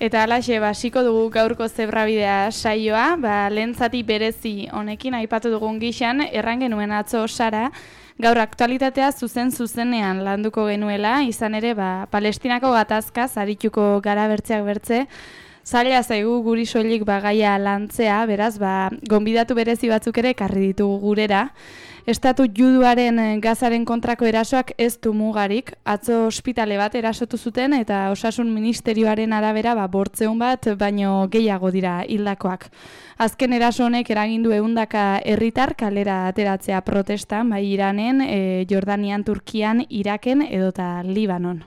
Eta halaxe, hasiko dugu gaurko zebrabidea saioa, lehen zati berezi honekin aipatu dugun gixan, erran genuen atzo Sara, gaur aktualitatea zuzenean landuko genuela, izan ere, Palestinako gatazkaz arituko gara bertzeak bertze, zaila zaigu guri soilik gaia lantzea, beraz, gonbidatu berezi batzuk ere ekarri ditugu gurera. Estatu juduaren Gazaren kontrako erasoak ez du mugarik, atzo ospitale bat erasotu zuten eta osasun ministerioaren arabera bortzeun bat baino gehiago dira hildakoak. Azken eraso honek eragindu 100 herritar kalera ateratzea protestan, bai Iranen, Jordanian, Turkian, Iraken edota Libanon.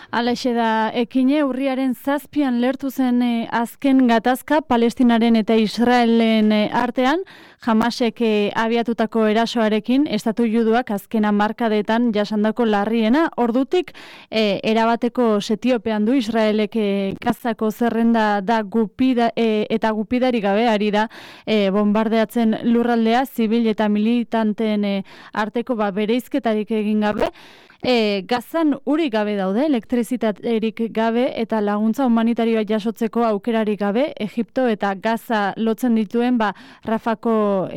Halaxe da, ekine urriaren 7 lertu zen azken gatazka Palestinaren eta Israelen artean, Hamasek abiatutako erasoarekin, estatu juduak azken hamarkadetan jasandako larriena, ordutik erabateko setiopean du Israelek Gazako zerrenda da eta gupidari gabe ari da bombardeatzen lurraldea, zibil eta militanteen arteko bereizketarik egin gabe. Gazan urik gabe daude, elektrizitaterik gabe eta laguntza humanitarioa jasotzeko aukerarik gabe, Egipto eta Gaza lotzen dituen Rafako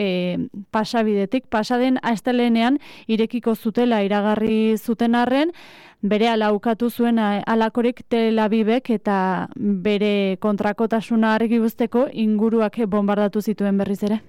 pasabidetik. Pasaden astelehenean irekiko zutela iragarri zuten arren, bere alaukatu zuen alakorik Tel Avivek eta bere kontrakotasuna argi buzteko inguruak bombardatu zituen berriz ere.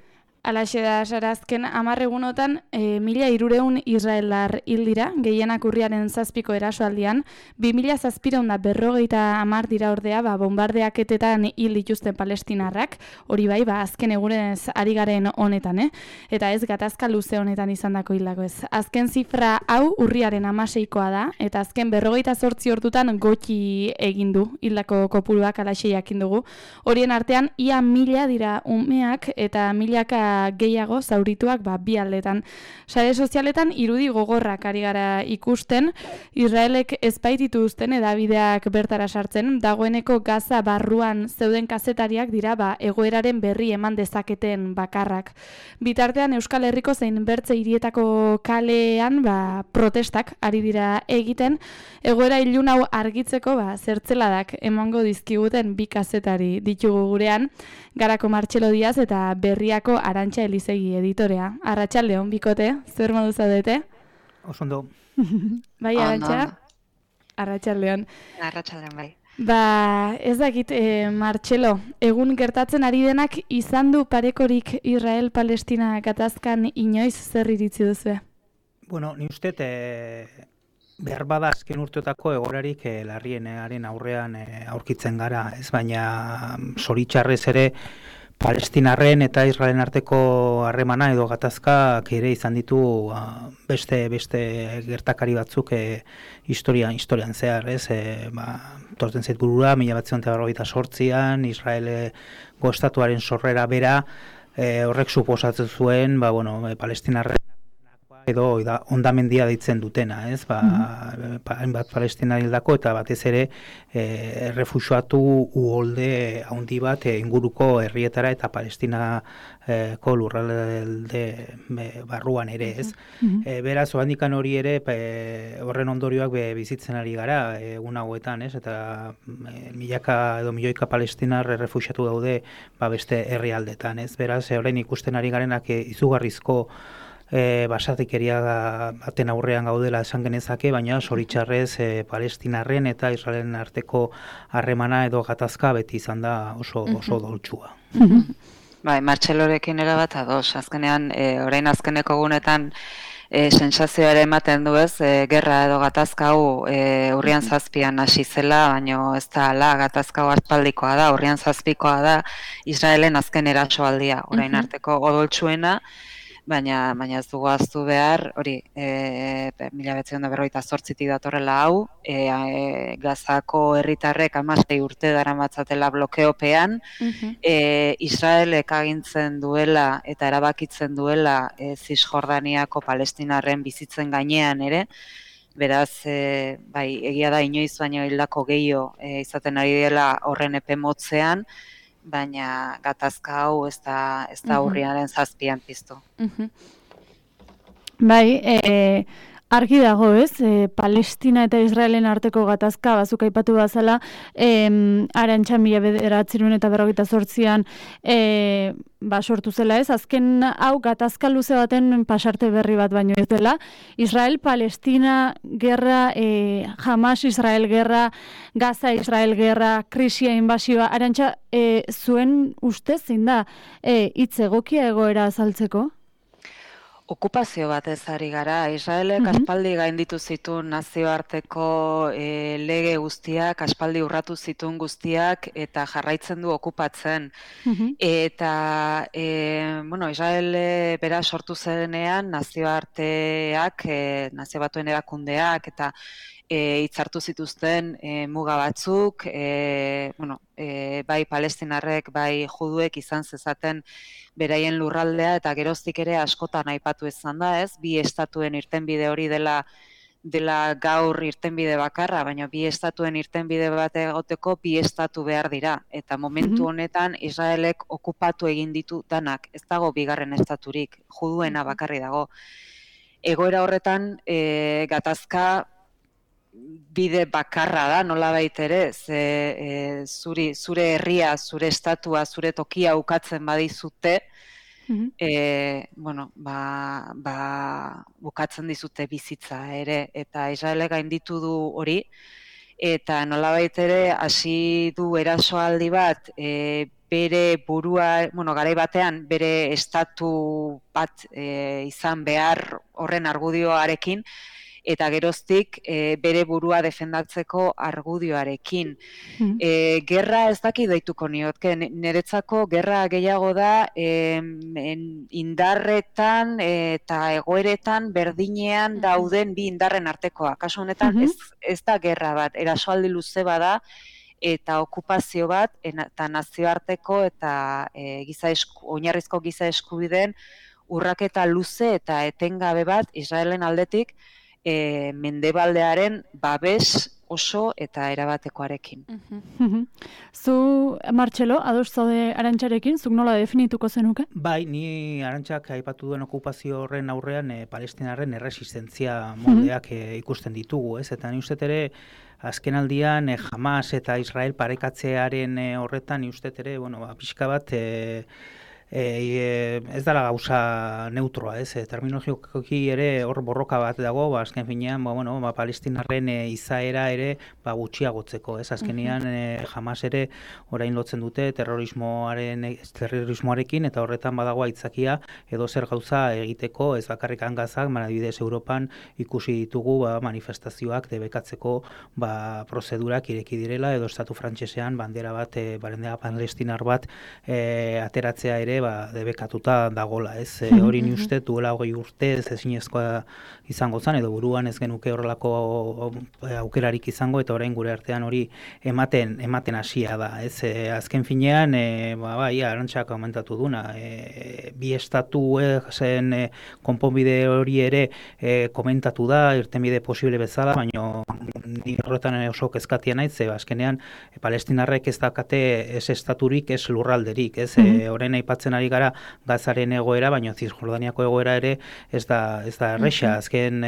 Halaxe da, Sara, azken 10 egunotan 1.300 israeldar hil dira, gehienak urriaren 7ko erasoaldian, 2.750 dira ordea, bombardeaketetan hil dituzten palestinarrak, hori bai, azken egunez ari garen honetan, eta ez gatazka luze honetan izandako hildako ez. Azken zifra hau urriaren 16koa da, eta azken 48 ordutan gutxi egin du hildako kopuruak halaxe jakin dugu. Horien artean, ia 1000 dira umeak eta 1000 gehiago zaurituak bi aldetan. Sare sozialetan irudi gogorrak ari gara ikusten, Israelek ez baitituzten edabideak bertara sartzen, dagoeneko Gaza barruan zeuden kazetariak dira egoeraren berri eman dezaketen bakarrak. Bitartean Euskal Herriko zein bertze hirietako kalean protestak ari dira egiten, egoera ilun hau argitzeko zertzeladak emango dizkiguten 2 kazetari ditugu gurean, Garako Martxelo Diaz eta Berriako Arantxa Elizegi editorea. Arratsaldeon bikote, zer modu zaudete? Osondo. Bai, Arantxa? Arratsaldeon. Arratsaldeon, bai. Ez dakit, Martxelo, egun gertatzen ari denak izan du parekorik Israel-Palestina gatazkan inoiz zer iritzi duzu? Bueno, ni uste behar bada azken urteotako egorarik larrienaren aurrean aurkitzen gara, ez baina zoritxarrez ere Palestinarren eta Israelen arteko harremana edo gatazkak ere izan ditu beste gertakari batzuk historian zehar, ez? Torten zait burura, 1948an, Israelgo estatuaren sorrera bera, horrek suposatzen zuen, Palestinarren edo ondamendia deitzen dutena, ez? Hainbat Palestina hildako eta batez ere errefuxiatu uholde handi bat inguruko herrietara eta Palestinako lurralde barruan ere, ez? Beraz, oandikan hori ere horren ondorioak bizitzen ari gara egun hauetan, ez? Eta milioika Palestinar errefuxiatu daude beste herrialdetan, ez? Beraz, orain ikusten ari garenak izugarrizko basatikeria baten aurrean gaudela esan genezake, baina zoritxarrez Palestinarren eta Israelen arteko harremana edo gatazka beti izan da oso doltsua. Bai, Martxelorekin erabat ados. Azkenean, orain azkeneko egunetan sensazioa ematen du ez, gerra edo gatazka hau urrian 7an hasi zela, baina ez da hala, gatazka hau aspaldikoa da, urrian 7koa da Israelen azken erasoaldia, orain arteko odoltsuena, baina ez dugu ahaztu behar, hori, 1948tik datorrela hau, Gazako herritarrek 16 urte daramatzatela blokeopean, Israelek agintzen duela eta erabakitzen duela Zisjordaniako Palestinarren bizitzen gainean ere, beraz, egia da inoiz baino hildako gehiago izaten ari dela horren epe motzean, baina gatazka hau ez da urriaren 7an piztu. Bai, argi dago, ez? Palestina eta Israelen arteko gatazka, bazuk aipatu bazala, Arantxa 1948an sortu zela, ez? Azken hau gatazka luze baten pasarte berri bat baino ez dela. Israel-Palestina gerra, Hamas-Israel gerra, Gaza-Israel gerra, krisia, inbasioa. Arantxa, zuen ustez zein da hitz egokia egoera azaltzeko? Okupazio batez ari gara. Israelek aspaldi gainditu zituen nazioarteko lege guztiak, aspaldi urratu zituen guztiak, eta jarraitzen du okupatzen. Eta, Israel bera sortu zenean nazioarteak, nazio batuen erakundeak, eta hitzartu zituzten muga batzuk, bai palestinarrek, bai juduek izan zezaten beraien lurraldea, eta geroztik ere askotan aipatu izan da, ez? Bi estatuen irtenbide hori dela gaur irtenbide bakarra, baina bi estatuen irtenbide bat egoteko bi estatu behar dira. Eta momentu honetan Israelek okupatu egin ditu danak, ez dago bigarren estaturik, juduena bakarri dago. Egoera horretan gatazka bide bakarra da, nolabait ere, zure herria, zure estatua, zure tokia ukatzen badizute, bukatzen dizute bizitza ere, eta Israelek gainditu du hori, eta nolabait ere hasi du erasoaldi bat, bere burua, garai batean, bere estatu bat izan behar horren argudioarekin, eta geroztik bere burua defendatzeko argudioarekin. Gerra ez daki deituko niotke, niretzako gerra gehiago da indarretan eta egoeretan berdinean dauden bi indarren artekoa. Kasu honetan ez da gerra bat, erasoaldi luze bada, eta okupazio bat, eta nazioarteko eta oinarrizko giza eskubideen urraketa luze eta etengabe bat Israelen aldetik, mendebaldearen babes oso eta erabatekoarekin. Zu, Martxelo, ados zaude Arantxarekin, zuk nola definituko zenuke? Bai, ni Arantxak aipatu duen okupazio horren aurrean palestinarren erresistentzia moldeak ikusten ditugu, ez? Eta ni uste ere, azken aldian Hamas eta Israel parekatzearen horretan, ni uste ere, pixka bat, ez dela gauza neutroa, ez? Terminologikoki ere hor borroka bat dago, azken finean, palestinarren izaera ere gutxiagotzeko, ez? Azkenean Hamas ere orain lotzen dute terrorismoarekin, eta horretan badago aitzakia edo zer gauza egiteko, ez bakarrik Gazak, adibidez Europan ikusi ditugu manifestazioak debekatzeko prozedurak ireki direla, edo estatu frantsesean bandera palestinar bat ateratzea ere debekatuta dagola, ez? Hori ni uste duela 20 urte ez ezinezkoa izango zen, edo buruan ez genuke horrelako aukerarik izango, eta orain gure artean hori ematen hasia da, ez? Azken finean, Arantxak komentatu duna, bi estatu zen konponbide hori ere komentatu da, irtenbide posible bezala, baina ni horretan oso kezkatia naiz, azkenean palestinarrek ez dakate ez estaturik, ez lurralderik, ez? Orain aipatzen ari gara Gazaren egoera, baina Zisjordaniako egoera ere ez da erresa. Azken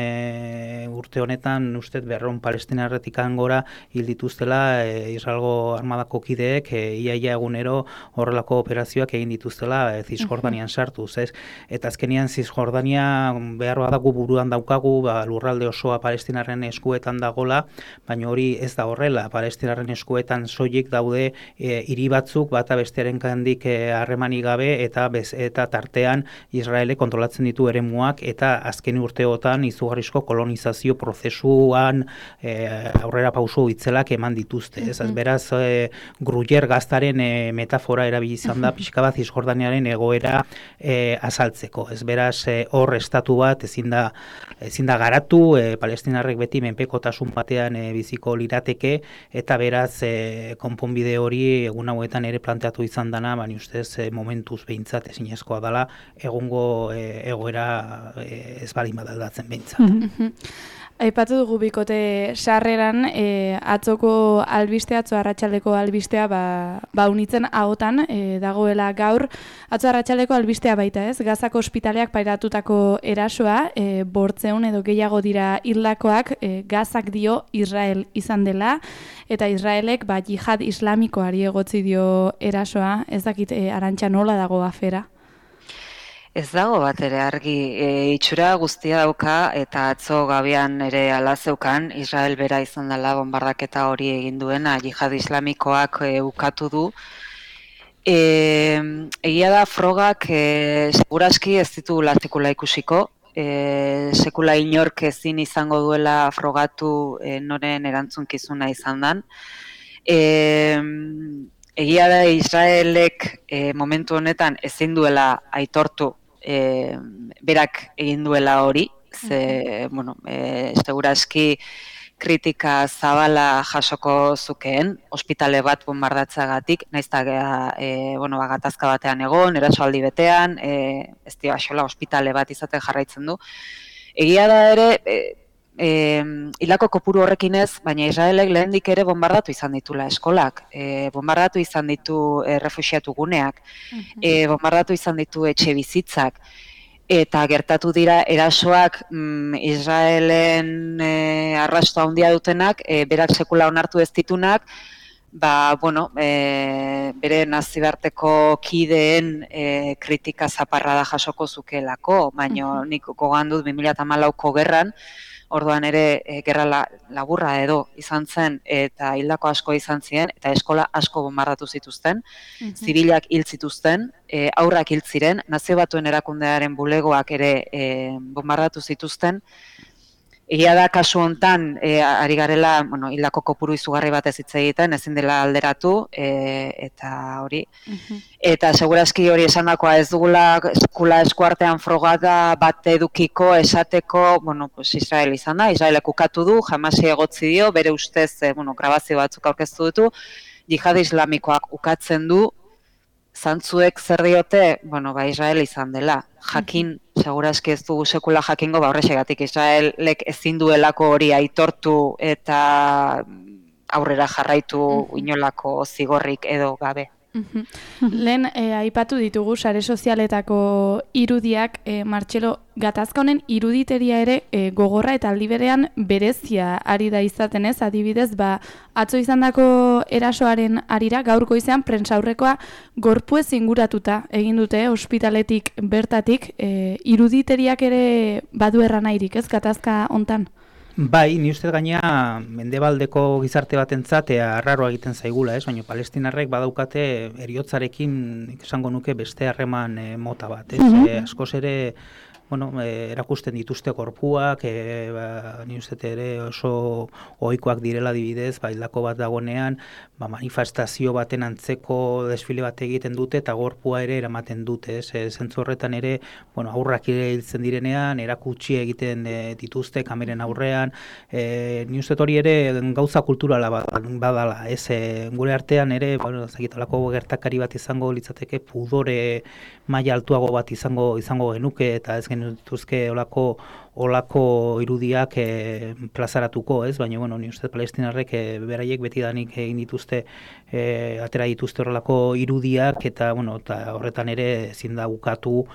urte honetan, uste 200 palestinarretik gora hil dituztela Israelgo armadako kideek iaia egunero horrelako operazioak egin dituztela Zisjordanian sartuz, ez? Eta azkenean Zisjordania behar badago buruan daukagu, lurralde osoa palestinarren eskuetan dagola, baina hori ez da horrela. Palestinarren eskuetan soilik daude hiri batzuk, bata bestearen kandik harremanik gabe, eta tartean Israelek kontrolatzen ditu eremuak, eta azken urteotan izugarrizko kolonizazio prozesuan aurrera pauso itzelak eman dituzte. Beraz, Gruyer gaztaren metafora erabili izan da pixka bat Zisjordaniaren egoera azaltzeko. Beraz, hor estatu bat ezin da garatu, palestinarrek beti menpekotasun batean biziko lirateke, eta beraz, konponbide hori egun hauetan ere planteatu izan dana, baina ustez momentuz behintzat ezinezkoa dela egungo egoera ez balin badaldatzen behintzat. Aipatu dugu bikote sarreran, atzoko albistea, atzo arratsaldeko albistea, unitzen ahotan dagoela gaur. Atzo arratsaldeko albistea baita ez, Gazako ospitaleak pairatutako erasoa, 800 edo gehiago dira hildakoak, Gazak dio Israel izan dela, eta Israelek jihad islamikoari egotzi dio erasoa, ez dakit Arantxa nola dago afera? Ez dago bat ere argi, itxura guztia dauka eta atzo gabian ere ala zeukan, Israel bera izan dela bombardaketa hori egin duena, jihad islamikoak ukatu du. Egia da frogak seguraski ez ditugula sekula ikusiko, sekula inork ezin izango duela frogatu noren erantzunkizuna izan dan. Egia da Israelek momentu honetan ezin duela aitortu berak egin duela hori, seguraski kritika zabala jasoko zukeen, ospitale bat bombardatzagatik, nahiz eta gatazka batean egon, erasoaldi betean, ez dio axola ospitale bat izaten jarraitzen du. Egia da ere, hilako kopuru horrekin ez, baina Israelek lehendik ere bombardatu izan ditula eskolak, bombardatu izan ditu refuxiatu guneak, bombardatu izan ditu etxe bizitzak, eta gertatu dira erasoak Israelen arrasto handia dutenak, berak sekula onartu ez ditunak, bere naziarteko kideen kritika zaparra da jasoko zukelako, baina nik gogoan dut 2014ko gerran, orduan ere gerra laburra edo izan zen eta hildako asko izan ziren eta eskola asko bombardatu zituzten, zibilak hil zituzten, haurrak hil ziren, Nazio Batuen Erakundearen bulegoak ere bombardatu zituzten. Egia da kasu hontan ari garela, hildako kopuru izugarri bat ez hitz egiten, ezin dela alderatu eta hori. Eta segurazki hori esandakoa ez dugula sekula eskuartean frogada bat edukiko esateko, Israel izan da, Israelek ukatu du, Hamasi egotzi dio, bere ustez grabazio batzuk aurkeztu ditu, jihad islamikoak ukatzen du, zantzuek zer diote, Israel izan dela. Jakin, segurazki ez dugu sekula jakingo, horrexegatik Israelek ezin duelako hori aitortu eta aurrera jarraitu inolako zigorrik edo gabe. Lehen aipatu ditugu sare sozialetako irudiak, Martxelo, gatazka honen iruditeria ere gogorra eta aldi berean berezia ari da izaten ez, adibidez, atzo izandako erasoaren arira gaurko izan prentsaurrekoa gorpuez inguratuta egin dute ospitaletik bertatik, iruditeriak ere badu erranairik ez gatazka hontan? Bai, ni uste gaina mendebaldeko gizarte batentzat arraroa egiten zaigula, ez? Baina palestinarrek badaukate heriotzarekin esango nuke beste harreman mota bat, ez? Askoz ere erakusten dituzte gorpuak, ni uste ere oso ohikoak direla adibidez, hildako bat dagonean, manifestazio baten antzeko desfile bat egiten dute eta gorpua ere eramaten dute, zentzu horretan ere, aurrak hiltzen direnean, erakutsi egiten dituzte kameren aurrean, ni uste hori ere gauza kulturala badala, gure artean ere, olako gertakari bat izango litzateke pudore maila altuago bat izango genuke eta ez genituzke olako irudiak plazaratuko, ez? Baina, ni uste palestinarrek beraiek betidanik egin dituzte, atera dituzte horrelako irudiak eta horretan ere ezin da ukatu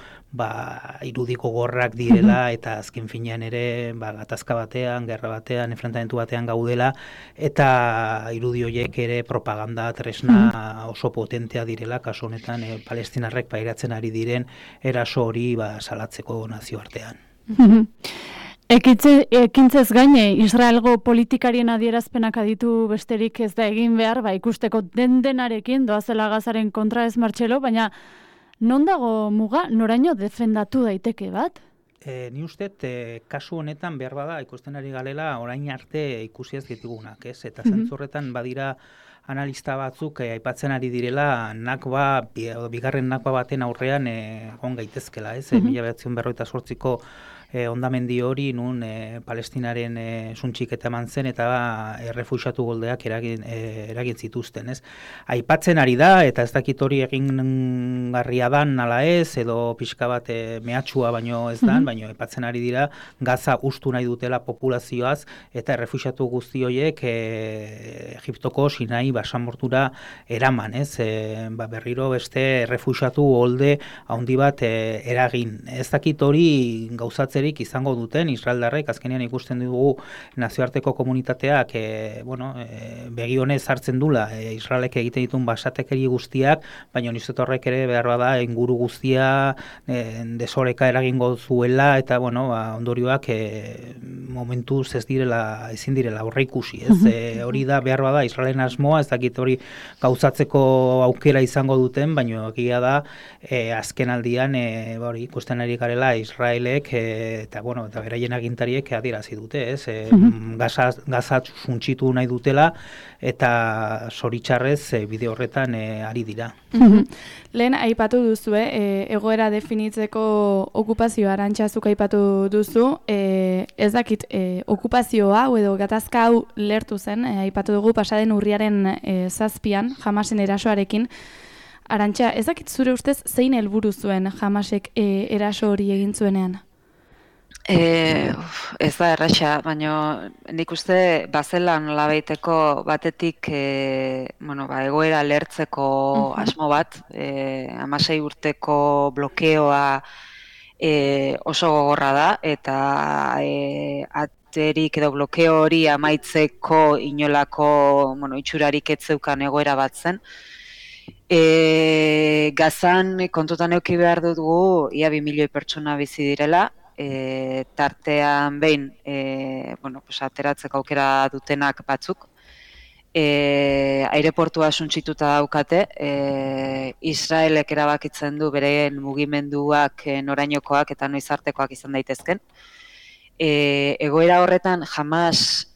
irudiko gorrak direla eta azken finean ere gatazka batean, gerra batean, enfrentamentu batean gaudela eta irudi horiek ere propaganda tresna oso potentea direla, kasu honetan palestinarrek pairatzen ari diren eraso hori salatzeko nazioartean. Ekintzez gaine, Israelgo politikarien adierazpenak aditu besterik ez da egin behar, ikusteko denarekin doazela Gazaren kontra ez, Martxelo, baina non dago muga, noraino defendatu daiteke bat? Ni uste, kasu honetan behar bada ikusten ari galela orain arte ikusi ez ditugunak, ez? Eta zentzurretan badira analista batzuk aipatzen ari direla Nakba, bigarren Nakba baten aurrean egon gaitezkela, ez? 1948ko ondamendi hori nun Palestinaren suntxiketa eman zen eta errefuxiatu goldeak eragin zituzten, ez? Aipatzen ari da, eta ez dakit hori egingarria dan ala ez, edo pixka bat mehatxua baino ez dan, baino aipatzen ari dira Gaza ustu nahi dutela populazioaz, eta errefuxiatu guzti horiek Egiptoko Sinai basamortura eraman, ez? Berriro beste errefuxiatu golde handi bat eragin. Ez dakit hori gauzatzen izango duten israeldarrek, azkenean ikusten dugu nazioarteko komunitateak begi honez hartzen dula Israelek egiten dituen basatekeri guztiak, baina nizet horrek ere behar bada inguru guztia desoreka eragingo zuela eta ondorioak momentuz ezin direla aurreikusi, ez? Hori da behar bada Israelen asmoa, ez dakit hori gauzatzeko aukera izango duten, baina egia da azken aldian ikusten ari garela Israelek eta beraien agintariek adierazi dute, ez? Gaza suntsitu nahi dutela eta zoritxarrez bide horretan ari dira. Lehen aipatu duzu, egoera definitzeko okupazioa Arantxazuk aipatu duzu, ez dakit okupazio hau edo gatazka hau lertu zen, aipatu dugu pasaden urriaren 7an Hamasen erasoarekin. Arantxa, ez dakit zure ustez zein helburu zuen Hamasek eraso hori egin zuenean? Ez da erraxa, baina nik uste bazelan nolabaiteko batetik egoera lertzeko asmo bat, 16 urteko blokeoa oso gogorra da, eta aterik edo blokeo hori amaitzeko inolako itxurarik ez zeukan egoera bat zen. Gazan kontutan eduki behar dugu, ia 2 milioi pertsona bizi direla, tartean behin ateratzeko aukera dutenak batzuk. Aireportua suntsituta daukate, Israelek erabakitzen du beren mugimenduak norainokoak eta noiz artekoak izan daitezken. Egoera horretan Hamas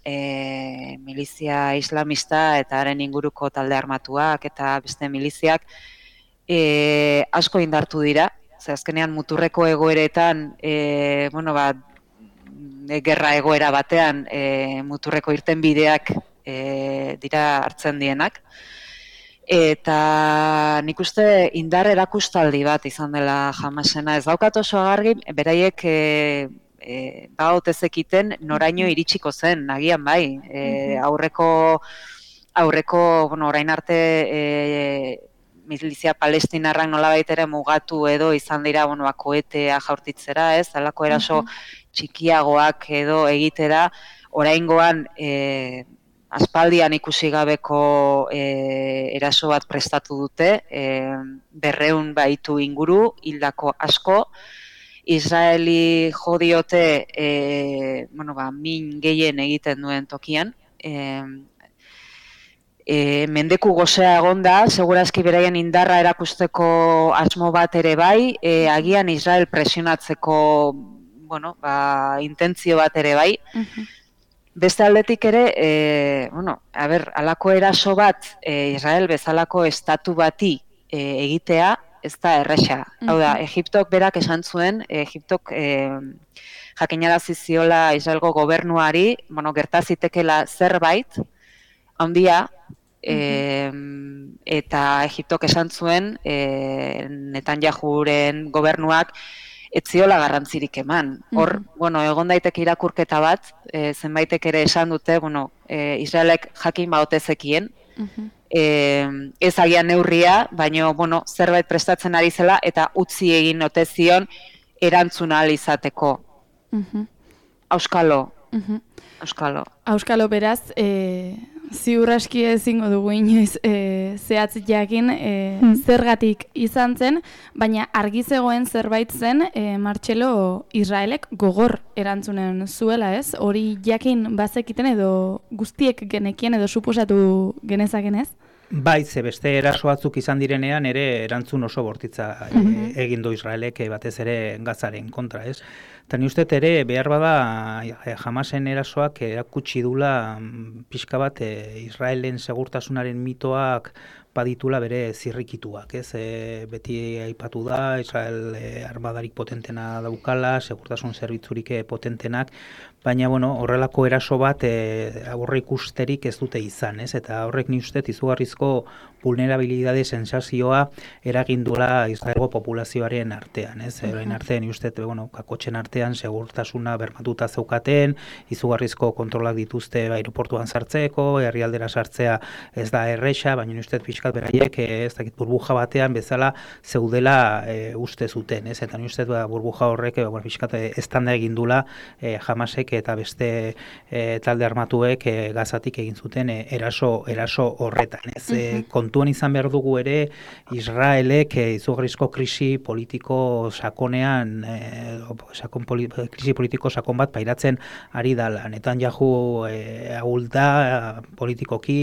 milizia islamista eta haren inguruko talde armatuak eta beste miliziak asko indartu dira. Azkenean muturreko egoeretan, gerra egoera batean muturreko irtenbideak dira hartzen dienak. Eta nik uste indar erakustaldi bat izan dela Hamasena. Ez daukat oso agargi, beraiek bautezekiten noraino iritsiko zen, agian bai. Aurreko orain arte milizia palestinarrak nolabait ere mugatu edo izan dira koetea jaurtitzera, ez? Halako eraso txikiagoak edo egitera, oraingoan aspaldian ikusi gabeko eraso bat prestatu dute, 200 baitu inguru, hildako asko, Israeli jo diote min gehien egiten duen tokian, mendeku gozea egonda, segurazki beraien indarra erakusteko asmo bat ere bai, agian Israel presionatzeko intentzio bat ere bai. Beste aldetik ere, halako eraso bat Israel bezalako estatu bati egitea, ez da erresa. Hau da, Egiptok berak esan zuen, Egiptok jakinarazi ziola Israelgo gobernuari, gertazitekela zerbait, handia, eta Egiptok esan zuen Netanyahuren gobernuak ez ziola garrantzirik eman. Hor, egon daiteke irakurketa bat, zenbaitek ere esan dute, Israelek jakin baotezekien, ez agian neurria, baina zerbait prestatzen ari zela eta utzi egin ote zion erantzuna ahal izateko. Auskalo. Auskalo beraz, ziur aski ezingo dugu inoiz zehatz jakin zergatik izan zen, baina argi zegoen zerbait zen Martxelo Israelek gogor erantzunen zuela, ez? Hori jakin bazekiten edo guztiek genekien edo suposatu genezaken, ez? Bai, ze beste eraso batzuk izan direnean ere erantzun oso bortitza egin du Israelek batez ere Gazaren kontra, ez? Eta ni uste ere behar bada Hamasen erasoak erakutsi dula pixka bat Israelen segurtasunaren mitoak baditula bere zirrikituak, ez? Beti aipatu da, Israel armadarik potentena daukala, segurtasun zerbitzurik potentenak, baina horrelako eraso bat aurre ikusterik ez dute izan, ez? Eta horrek ni uste izugarrizko vulnerabilidade sensazioa eragindula Israelgo populazioaren artean, ez? Orain artean ni uste kakotxen artean segurtasuna bermatuta zeukaten, izugarrizko kontrolak dituzte aireportuan sartzeko, herrialdera sartzea ez da erresa, baina ni uste pixkat beraiek ez dakit burbuja batean bezala zeudela uste zuten, ez? Eta ni uste burbuja horrek pixkat eztanda egindula Hamasek eta beste talde armatuek Gazatik egin zuten eraso horretan, ez? Kontuan izan behar dugu ere Israelek izugarrizko krisi politiko sakonean krisi politiko sakon bat pairatzen ari dala. Netanyahu ahulda politikoki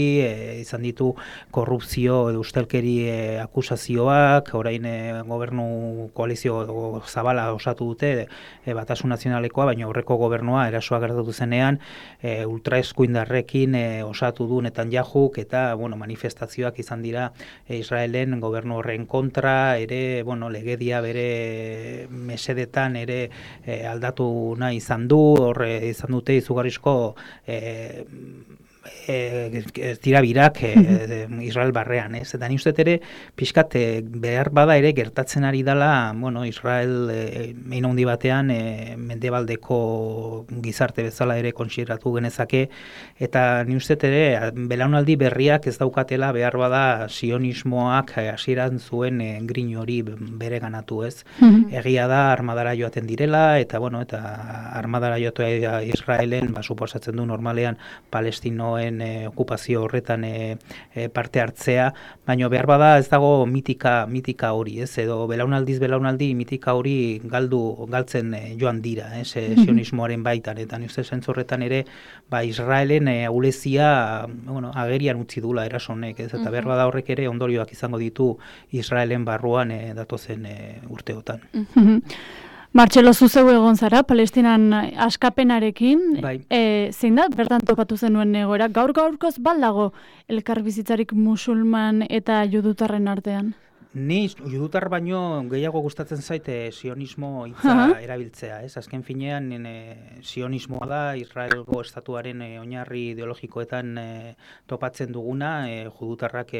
izan ditu korrupzio edo ustelkeri akusazioak, orain gobernu koalizio zabala osatu dute Batasun Nazionalekoa, baina aurreko gobernua erasoa gertatu zenean ultraeskuindarrekin osatu du Netanyahuk eta manifestazioak izan dira Israelen gobernu horren kontra, ere legedia bere mesedetan ere aldatu nahi izan du, horre izan dute izugarrizko tirabirak Israel barrean, ez? Eta ni uste ere pixkat behar bada ere gertatzen ari dela, Israel hein handi batean mendebaldeko gizarte bezala ere kontsideratu genezake, eta ni uste ere belaunaldi berriak ez daukatela behar bada sionismoak hasieran zuen grin hori bereganatu, ez? Egia da armadara joaten direla, eta armadara joatea Israelen suposatzen du normalean Palestinoen okupazio horretan parte hartzea, baina behar bada ez dago mitika hori, ez? Edo belaunaldi mitika hori galtzen joan dira, ez? Sionismoaren baitan, eta ni uste zentzu horretan ere Israelen ahulezia agerian utzi dula erasonek, ez? Eta behar bada horrek ere ondorioak izango ditu Israelen barruan datozen urteotan. Martxelo, zuzeu egon zara, Palestinan askapenarekin, Bai. Zein da, bertan topatu zenuen egoera, gaurkoz baldago elkarbizitzarik musulman eta judutarren artean? Ni judutar baino gehiago gustatzen zaite sionismo hitza erabiltzea, ez? Azken finean sionismoa da Israelgo estatuaren oinarri ideologikoetan topatzen duguna, judutarrak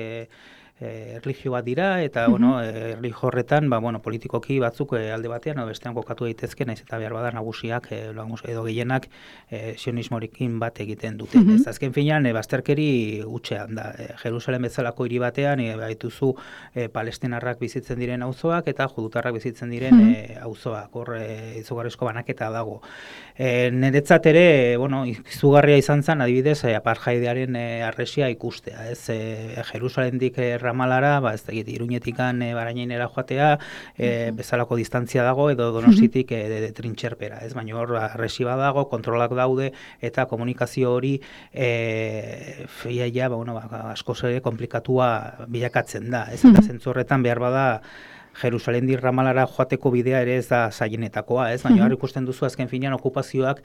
erlijio bat dira, eta erlijio horretan politikoki batzuk alde batean edo bestean kokatu daitezke, naiz eta behar bada nagusiak edo gehienak sionismorekin bat egiten dute. Ez azken finean bazterkeri hutsean da. Jerusalem bezalako hiri batean baituzu palestinarrak bizitzen diren auzoak eta judutarrak bizitzen diren auzoak. Hor izugarrizko banaketa dago. Niretzat ere, izugarria izan zen adibidez apartheidearen arresia ikustea, ez? Jerusalemdik Ramalara, ez dakit, Iruñetikan Barainainera joatea, bezalako distantzia dago, edo Donostitik trintxerpera, ez? Baina hor arresi bat dago, kontrolak daude, eta komunikazio hori askoz ere komplikatua bilakatzen da, ez? Eta zentzu horretan behar bada Jerusalemdik Ramalara joateko bidea ere ez da zailenetakoa, ez? Baina hor ikusten duzu azken finean okupazioak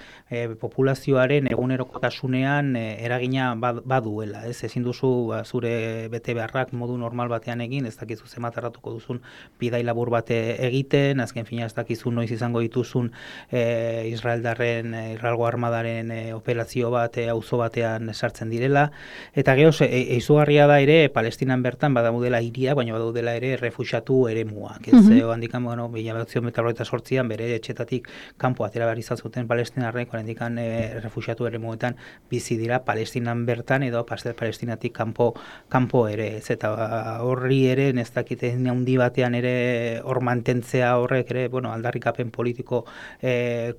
populazioaren egunerokotasunean eragina baduela, ez? Ezin duzu zure bete beharrak modu normal batean egin, ez dakizu zenbat tardatuko duzun bidai labur bat egiten, azken finean ez dakizu noiz izango dituzun Israelgo armadaren operazio bat auzo batean sartzen direla, eta gero izugarria da ere Palestinan bertan badaudela hiriak, baina badaudela ere refuxiatu eremuak, ez? Handikan, 1948an bere etxetatik kanpo atera behar izan zuten palestinarrek, handikan refuxiatu eremuetan bizi dira Palestinan bertan edo Palestinatik kanpo ere, ez? Eta horri ere ez dakite handi batean ere hor mantentzea horrek ere, aldarrikapen politiko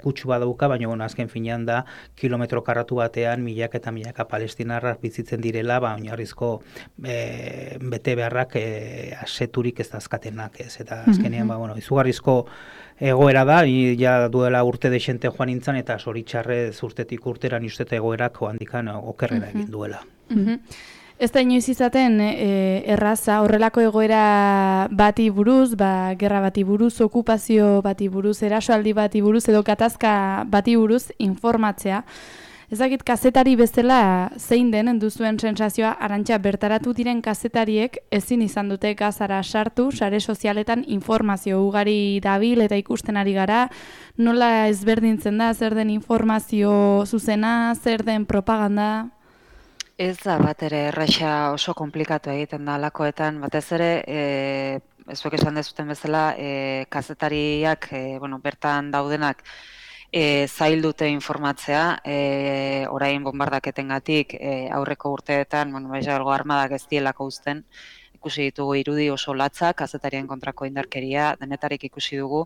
kutsu badauka, baina azken finean da kilometro karratu batean milaka eta milaka palestinarrak bizitzen direla, oinarrizko bete beharrak aseturik ez dazkatenak, ez? Eta azkenean izugarrizko egoera da, ja duela urte dexente joan nintzen, eta zoritxarrez urtetik urtera niztete egoerak handikan okerrera egin duela. Ez da inoiz izaten erraza horrelako egoera bati buruz, gerra bati buruz, okupazio bati buruz, erasoaldi bati buruz edo gatazka bati buruz informatzea. Ezakit kazetari bezala zein den duzuen sensazioa, Arantxa, bertaratu diren kazetariek ezin izan dute gazara sartu, sare sozialetan informazio ugari dabil eta ikusten ari gara, nola ezberdintzen da, zer den informazio zuzena, zer den propaganda? Ez da bat ere erraxa oso komplikatu egiten da alakoetan, batez ere, zuek esan dezuten bezala, kazetariak, bertan daudenak, zail dute informatzea, orain bombardaketengatik aurreko urteetan, algo armadak ez dielako uzten, ikusi ditugu irudi oso latzak, kazetarien kontrako indarkeria, denetarik ikusi dugu.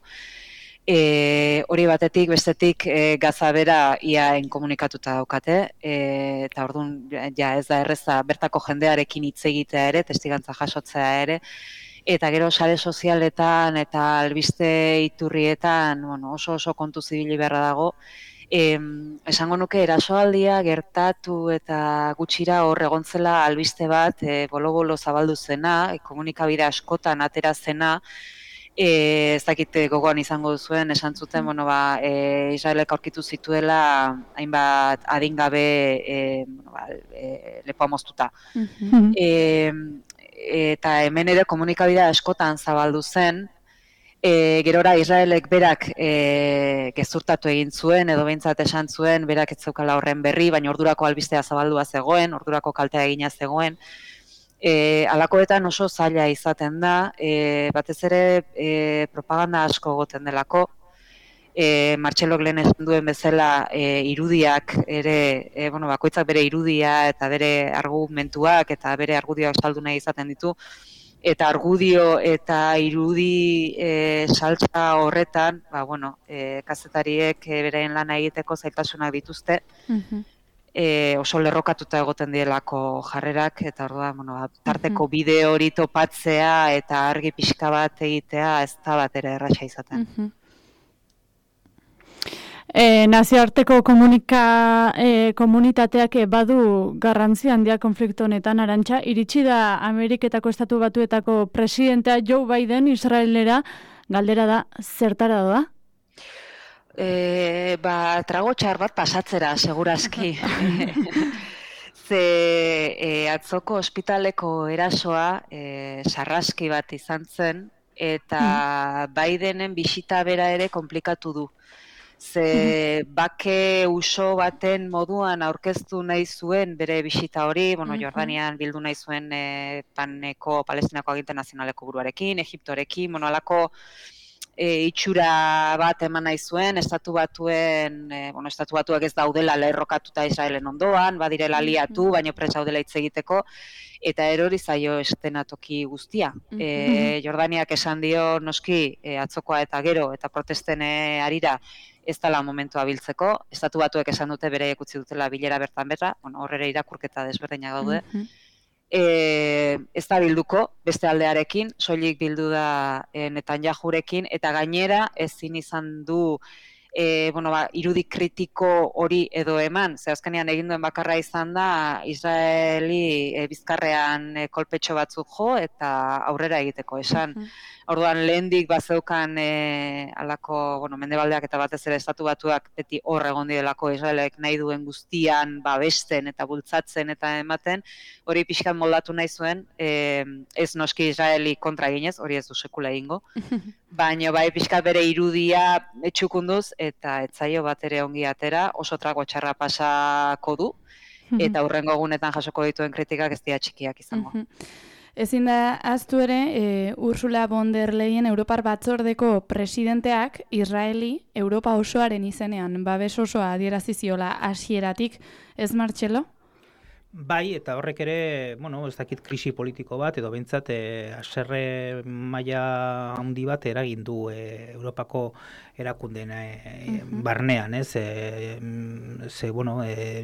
Hori batetik, bestetik Gaza bera ia inkomunikatuta daukate, eta orduan ja ez da erreza bertako jendearekin hitz egitea ere, testigantza jasotzea ere, eta gero sare sozialetan eta albiste iturrietan oso kontu zibili beharra dago. Esango nuke erasoaldia gertatu eta gutxira hor egontzela albiste bat bolo-bolo zabaldu zena, komunikabide askotan atera zena, ez dakit gogoan izango duzuen, esan zuten, Israelek aurkitu zituela hainbat adingabe lepoa moztuta. Eta hemen ere komunikabidea askotan zabaldu zen, gerora Israelek berak gezurtatu egin zuen, edo behintzat esan zuen, berak ez zeukala horren berri, baina ordurako albistea zabaldua zegoen, ordurako kaltea egina zegoen. Alakoetan oso zaila izaten da, batez ere propaganda asko goten delako, Martxelok lehen esan duen bezala irudiak ere, bakoitzak bere irudia eta bere argumentuak eta bere argudioak saldu nahi izaten ditu, eta argudio eta irudi saltza horretan, kazetariek beraien lana egiteko zailtasunak dituzte, oso lerrokatuta egoten dielako jarrerak, eta orduan, tarteko bideo hori topatzea eta argi pixka bat egitea ez da bat ere erraxa izaten. Nazioarteko komunitateak badu garrantzi handia konflikto honetan, Arantxa, iritsi da Ameriketako Estatu Batuetako presidentea Joe Biden Israelera, galdera da, zertara doa? Trago txar bat pasatzera, segurazki. Ze atzoko ospitaleko erasoa sarraski bat izan zen, eta Bidenen bisita bera ere komplikatu du. Ze bake uso baten moduan aurkeztu nahi zuen bere bisita hori, Jordanian bildu nahi zuen Palestinako aginte nazionaleko buruarekin, Egiptorekin, alako itxura bat eman nahi zuen, estatu batuak ez daudela lerrokatuta Israelen ondoan, badirela aliatu, baina prest daudela hitz egiteko, eta erori zaio estenatoki guztia. Jordaniak esan dio noski atzokoa eta gero, eta protesten harira ez dela momentua biltzeko, estatu batuek esan dute bere utzi dutela bilera bertan berra, horrere irakurketa desberdinak daude, ez da bilduko beste aldearekin, soilik bildu da Netanyahurekin, eta gainera ezin izan du irudi kritiko hori edo eman, ze azkenean egin duen bakarra izan da Israeli bizkarrean kolpetxo batzuk jo eta aurrera egiteko esan. Orduan lehendik bazeukan alako, mendebaldeak eta batez ere estatu batuak beti hor egon direlako Israelek nahi duen guztian babesten eta bultzatzen eta ematen, hori pixkan moldatu nahi zuen, ez noski Israeli kontra eginez, hori ez du sekula egingo, baina bai pixkat bere irudia etxukunduz eta etzaio bat ere ongi atera, oso trago txarra pasako du, eta hurrengo egunetan jasoko dituen kritikak ez dira txikiak izango. Ezin da ahaztu ere, Ursula von der Leyen Europar Batzordeko presidenteak Israeli Europa osoaren izenean babes osoa adierazi ziola hasieratik, ez Martxelo? Bai, eta horrek ere, ez dakit krisi politiko bat, edo behintzat haserre maila handi bat eragin du Europako erakundeen barnean, ez?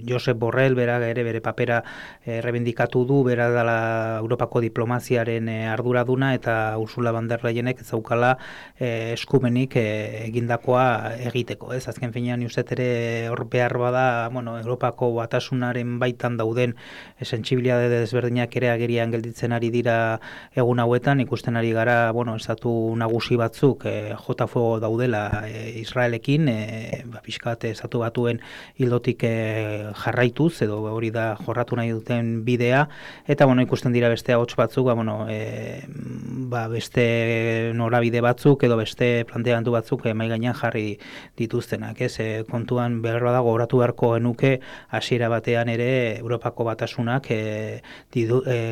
Josep Borrell bera ere bere papera rebendikatu du, bera dela Europako diplomaziaren arduraduna, eta Ursula von der Leyenek ez daukala eskumenik egindakoa egiteko, ez? Azken finean, uste ere hor behar bada, Europako batasunaren baitan dauden sentsibilitate desberdinak ere agerian gelditzen ari dira egun hauetan, ikusten ari gara, estatu nagusi batzuk jotafo daudela Israelekin, pixkat estatu batuen hildotik jarraituz, edo hori da jorratu nahi duten bidea, eta ikusten dira beste ahots batzuk, beste norabide batzuk, edo beste planteamendu batzuk mahai gainean jarri dituztenak, kontuan behar dago oratu beharko genuke hasiera batean ere Europako Batasunak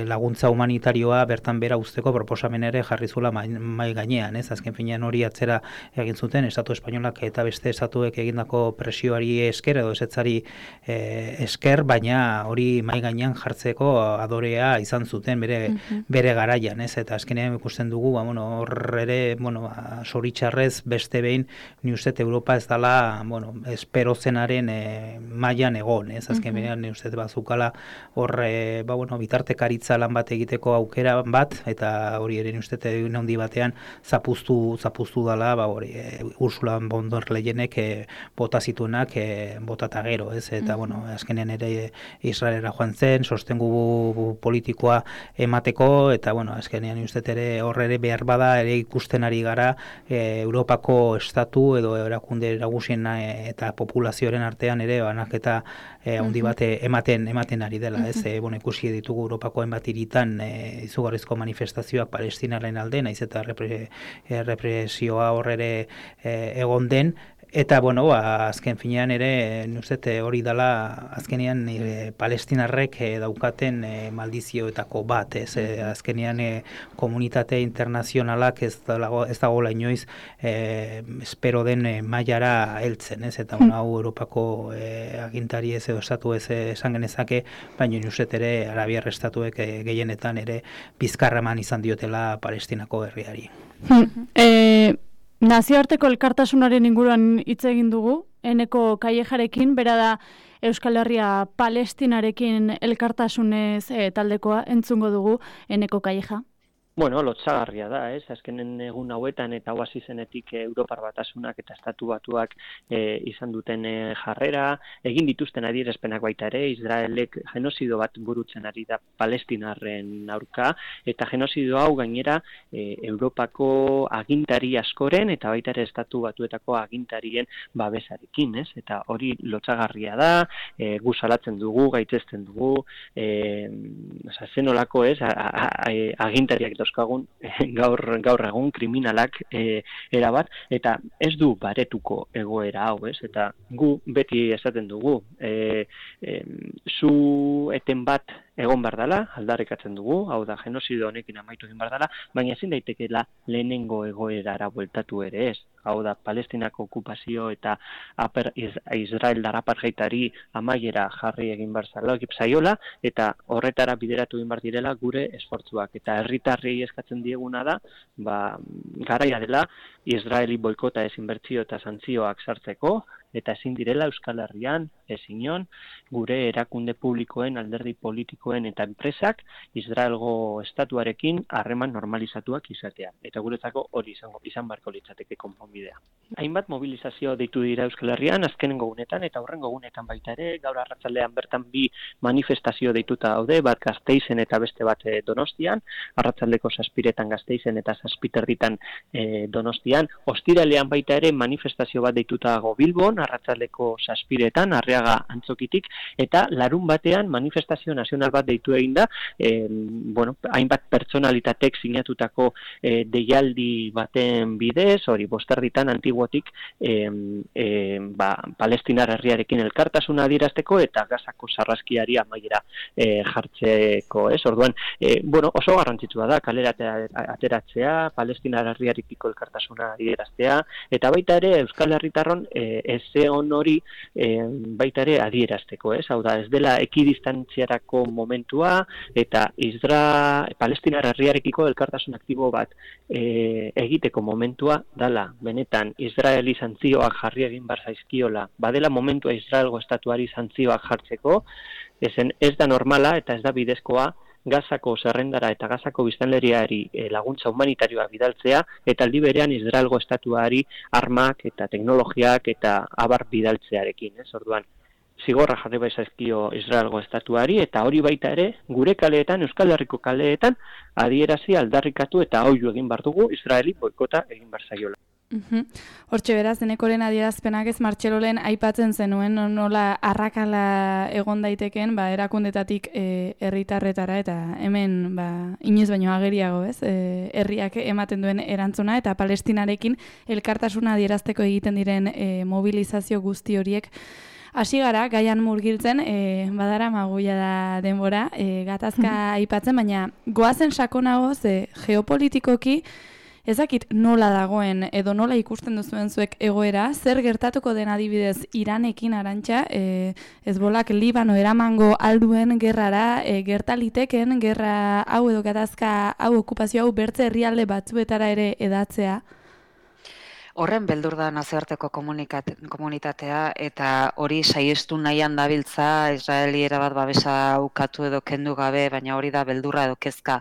laguntza humanitarioa bertan bera uzteko proposamen ere jarri zuela mahai gainean, azken finean hori atzera egin zuten estatu espainolak eta beste estatuek egindako presioari esker edo esetzari esker, baina hori mahai gainean jartzeko adorea izan zuten bere garaian, eta azkenean ikusten dugu, hor ere, zoritxarrez beste behin, ni uste Europa ez dela, espero zenaren mailan egon, azken behin, ni uste bazukala hor, bitartekaritza lan bat egiteko aukera bat, eta hori ere ni uste handi batean zapuztu dela, Ursula von der Leyenek bota zituenak botata gero, eta azkenean ere Israelera joan zen, sostengu politikoa emateko, eta azkenean ni uste ere hor ere behar bada ere ikusten ari gara Europako estatu edo erakunde nagusien eta populazioaren artean ere banaketa handi bat ematen ari dela, ikusi ditugu Europako hainbat hiritan izugarrizko manifestazioak Palestinaren alde, naiz eta represioa hor ere egon den, eta azken finean ere nuzete hori dela azkenean palestinarrek daukaten maldizioetako bat, azkenean komunitate internazionalak ez dagoela inoiz espero den mailara heltzen, eta hau Europako agintari ez edo estatu ez esan genezake, baina nuzet ere Arabiar estatuek gehienetan ere bizkarraman izan diotela Palestinako herriari. Nazioarteko elkartasunaren inguruan hitz egin dugu, Eneko Callejarekin, bera da Euskal Herria Palestinarekin elkartasunez taldekoa, entzungo dugu Eneko Calleja. Lotsagarria da, azkenen egun hauetan eta hau hasi zenetik Europar Batasunak eta Estatu Batuak izan duten jarrera, egin dituzten adierazpenak baita ere, Israelek genozido bat burutzen ari da Palestinarren aurka, eta genozido hau gainera Europako agintari askoren eta baita ere Estatu Batuetako agintarien babesarekin, eta hori lotsagarria da, gu salatzen dugu, gaitzesten dugu, zenolako agintariak dauzkagun gaur egun kriminalak erabat, eta ez du baretuko egoera hau, eta gu beti esaten dugu, zu eten bat egon behar dela, aldarrikatzen dugu, hau da genozido honekin amaitu egin behar dela, baina ezin daitekeela lehenengo egoerara bueltatu ere ez. Hau da, Palestinako okupazio eta Israeldar apartheidari amaiera jarri egin behar zaiola, eta horretara bideratu egin behar direla gure esfortzuak. Eta herritarrei eskatzen dieguna da, garaia dela, Israeli boikota desinbertsio eta santzioak sartzeko, eta ezin direla Euskal Herrian, ezinon, gure erakunde publikoen, alderdi politikoen eta enpresak Israelgo estatuarekin harreman normalizatuak izatea. Eta guretzako hori izan beharko litzateke konponbidea. Hainbat mobilizazio deitu dira Euskal Herrian, azkenengo gunetan eta hurrengo gunetan baita ere, gaur arratsaldean bertan bi manifestazio deituta daude, bat Gasteizen eta beste bat Donostian, arratsaldeko 7:00 Gasteizen eta 7:30 Donostian, ostiralean baita ere manifestazio bat deituta dago Bilbon, arratsaldeko 7:00 Arriaga Antzokitik, eta larun batean manifestazio nazional bat deitu egin da, hainbat pertsonalitatek sinatutako deialdi baten bidez, hori 5:00 Antiguotik Palestinar herriarekin elkartasuna adierazteko eta Gazako sarraskiari amaiera jartzeko, Orduan, oso garrantzitsua da kalera ateratzea, Palestinar herriarekiko elkartasuna adieraztea, eta baita ere Euskal Herritarron ezeon hori baita ere adierazteko, Hau da, ez dela ekidistantziarako momentua, eta Palestinar herriarekiko elkartasun aktibo bat egiteko momentua dala, benetan Israeli santzioak jarri egin behar zaizkiola, badela momentua Israelgo estatuari santzioak jartzeko, ez da normala eta ez da bidezkoa Gazako zerrendara eta Gazako biztanleriari laguntza humanitarioa bidaltzea, eta aldi berean Israelgo estatuari armak eta teknologiak eta abar bidaltzearekin, Orduan, zigorra jarri baizazkio Israelgo estatuari, eta hori baita ere, gure kaleetan, Euskal Herriko kaleetan, adierazi aldarrikatu eta oiu egin bar dugu Israeli boikota egin bar zaiola. Hortxe beraz, Enekoren adierazpenak ez Martxelolen aipatzen zenuen, nola arrakala egon daiteken, erakundetatik herritarretara, eta hemen inoiz baino ageriago, ez? Herriak ematen duen erantzuna, eta Palestinarekin elkartasuna adierazteko egiten diren mobilizazio guzti horiek. Hasi gara, gaian murgiltzen, badara maguia da denbora, gatazka aipatzen, baina goazen sakonago, geopolitikoki, ezakit nola dagoen edo nola ikusten duzuen zuek egoera, zer gertatuko den adibidez Iranekin Arantxa, Hezbolak Libano eramango alduen gerrara, gertaliteken gerra hau edo gatazka hau okupazio hau bertze herrialde batzuetara ere edatzea? Horren beldur da nazioarteko komunitatea eta hori saiestu nahian dabiltza Israeli erabat babesa ukatu edo kendu gabe, baina hori da beldurra edo kezka.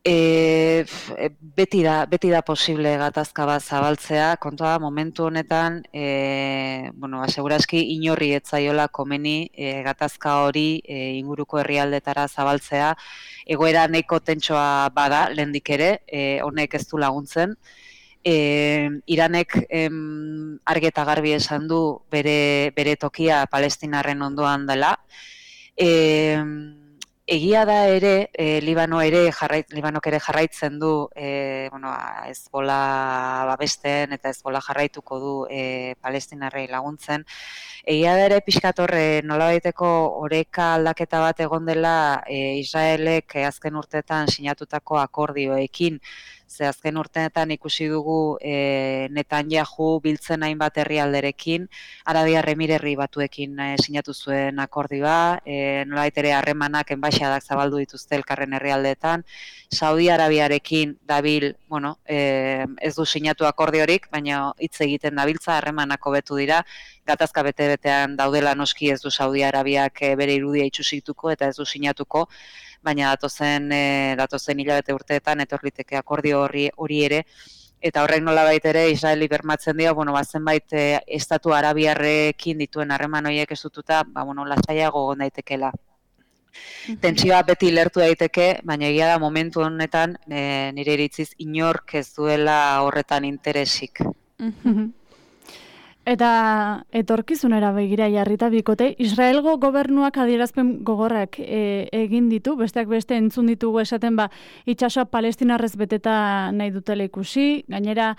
Beti da posible gatazka bat zabaltzea, kontua momentu honetan, segurazki inorri etzaiola komeni gatazka hori inguruko herrialdetara zabaltzea, egoera nahiko tentsoa bada, lehendik ere, honek ez du laguntzen. Iranek argi eta garbi esan du bere tokia Palestinarren ondoan dela. Egia da ere, Libanok ere jarraitzen du Hezbollah babesten eta Hezbollah jarraituko du Palestinarrei laguntzen. Egia da ere pixkat horre nolabaiteko oreka aldaketa bat egon dela Israelek azken urteetan sinatutako akordioekin. Ze azken urteetan ikusi dugu Netanyahu biltzen hainbat herrialderekin, Arabiar Emirerri Batuekin sinatu zuen akordioa, nolabait ere harremanak enbaixadak zabaldu dituzte elkarren herrialdeetan, Saudi Arabiarekin dabil, ez du sinatu akordiorik, baina hitz egiten dabiltza, harremanak hobetu dira, gatazka bete-betean daudela noski ez du Saudi Arabiak bere irudia itxusituko eta ez du sinatuko, baina datozen hilabete urteetan etorliteke akordio hori ere, eta horrek nolabait ere Israeli bermatzen dio, zenbait estatu arabiarrekin dituen harreman horiek estututa, lasaiago egon daitekela. Tentsioa beti lertu daiteke, baina egia da momentu honetan nire iritziz inork ez duela horretan interesik. Eta etorkizunera begira jarrita bikote, Israelgo gobernuak adierazpen gogorrak egin ditu, besteak beste entzun ditugu esaten itsasoa palestinarrez beteta nahi dutela ikusi, gainera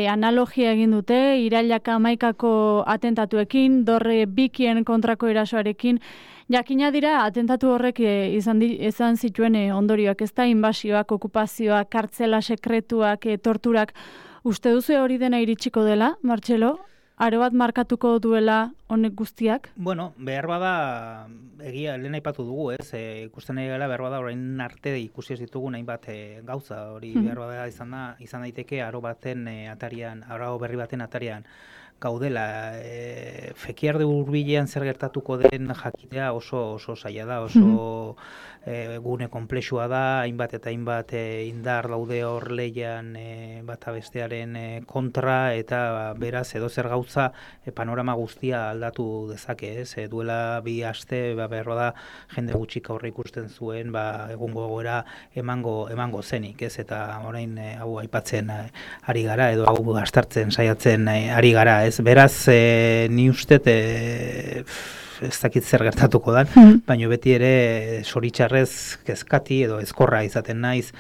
analogia egin dute, irailak 11ko atentatuekin, dorre bikien kontrako erasoarekin, jakina dira atentatu horrek izan zituen ondorioak, ez da inbasioak, okupazioak, kartzela sekretuak, torturak, uste duzu hori dena iritsiko dela, Martxelo? Aro bat markatuko duela honek guztiak? Behar bada, egia, lehen aipatu dugu, ez? Ikusten nahi gala, behar bada, orain arte ikusi ez ditugu hainbat gauza, hori behar bada izan daiteke aro berri baten atarian gaudela. Fekiarde hurbilean zer gertatuko den jakitea oso zaila da, oso gune konplexua da, hainbat eta hainbat indar daude hor leian bata bestearen kontra, eta beraz edo zer gauza panorama guztia aldatu dezake, ez? Duela 2 aste, behar da, jende gutxik aurre ikusten zuen, egungo goera emango zenik, ez? Eta orain hau aipatzen ari gara, edo hau astartzen saiatzen ari gara, ez? Beraz, ni uste ez dakit zer gertatuko da, baina beti ere zoritxarrez kezkati edo ezkorra izaten naiz,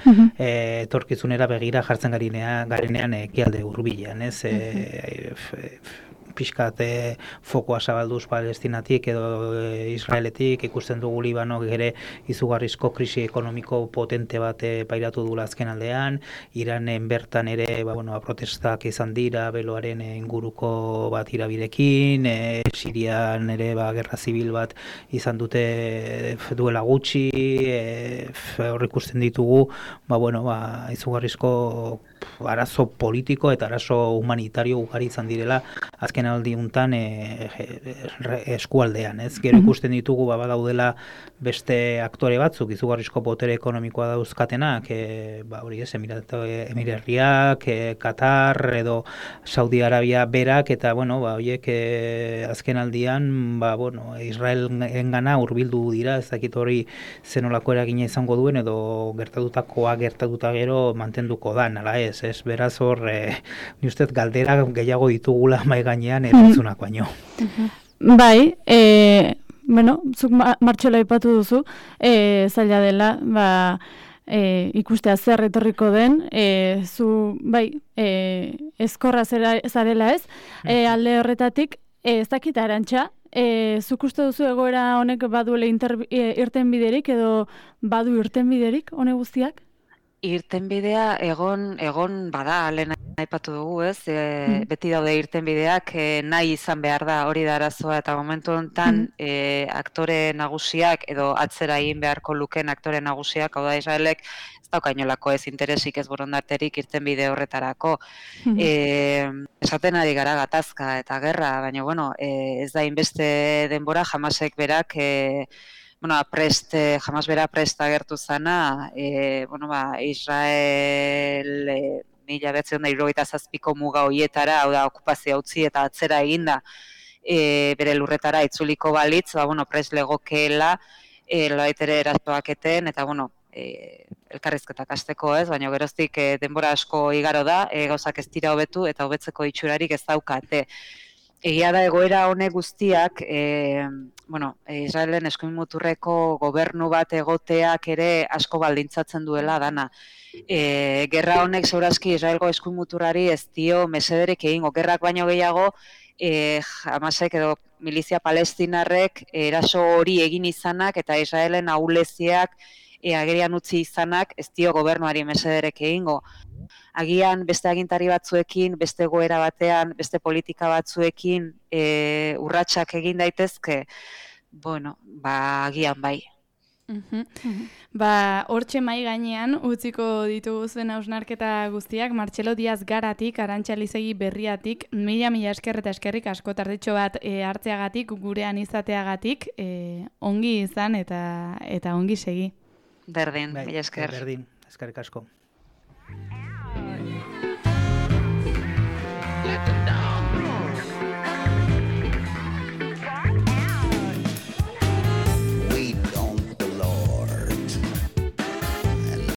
etorkizunera begira jartzen garenean ekialde hurbilean, ez? Pixkat fokoa zabalduz Palestinatik edo Israeletik, ikusten dugu Libanok ere izugarrizko krisi ekonomiko potente bat pairatu dula azken aldean, Iranen bertan ere protestak izan dira beloaren inguruko bat irabirekin, Sirian ere gerra zibil bat izan dute duela gutxi, hor ikusten ditugu izugarrizko arazo politiko eta arazo humanitario ugari izan direla azken aldi untan eskualdean, ez? Gero ikusten ditugu badaudela beste aktore batzuk, izugarrizko potere ekonomikoa dauzkatenak, hori ez, Emirerriak, Katar edo Saudi Arabia berak, eta, horiek azken aldian, Israelengana hurbildu dira, ez dakit hori zenolako eragina izango duen, edo gertatuta gero mantenduko da, nala ez, beraz hor, ni ustez galdera gehiago ditugula mai gainean erantzunak baino. Bai, zuk Martxola aipatu duzu, zaila dela, ikustea zer etorriko den, zu, ezkorra zarela ez, alde horretatik, ez dakita Arantxa, zuk uste duzu egoera honek baduela irtenbiderik edo badu irtenbiderik hone guztiak? Irtenbidea egon bada, lehen aipatu dugu, ez? Beti daude irtenbideak, nahi izan behar da, hori da arazoa, eta momentu honetan aktore nagusiak edo atzera egin beharko luken aktore nagusiak, hau da Israelek, ez daukainolako ez interesik, ez borondaterik irtenbide horretarako. Esaten ari gara gatazka eta gerra, baina, ez da inbeste denbora Hamasek berak, Hamas bera prest agertu zana, Israel 1967ko muga hoietara, hau da, okupazio utzi eta atzera eginda bere lurretara itzuliko balitz, prest legokeela, loaitere erasoak eten, eta, elkarrizketak hasteko ez, baina geroztik denbora asko igaro da, gauzak ez dira hobetu eta hobetzeko itxurarik ez daukate. Egia da egoera honek guztiak, Israelen eskuin muturreko gobernu bat egoteak ere asko baldintzatzen duela dana. Gerra honek segurazki Israelgo eskuin muturrari ez dio mesederik egingo, gerrak baino gehiago, Hamasek edo milizia palestinarrek eraso hori egin izanak eta Israelen ahuleziak agerian utzi izanak ez dio gobernuari mesederek egingo. Agian beste agintari batzuekin, beste egoera batean, beste politika batzuekin urratsak egin daitezke, agian bai. Hortxe mai gainean utziko ditugu zuen hausnarketa guztiak, Martxelo Diaz Garatik, Arantxa Elizegi Berriatik, mila esker eta eskerrik asko tardetxo bat hartzeagatik, gurean izateagatik, ongi izan eta ongi segi. Berdin, mila esker. Berdin, eskerrik asko.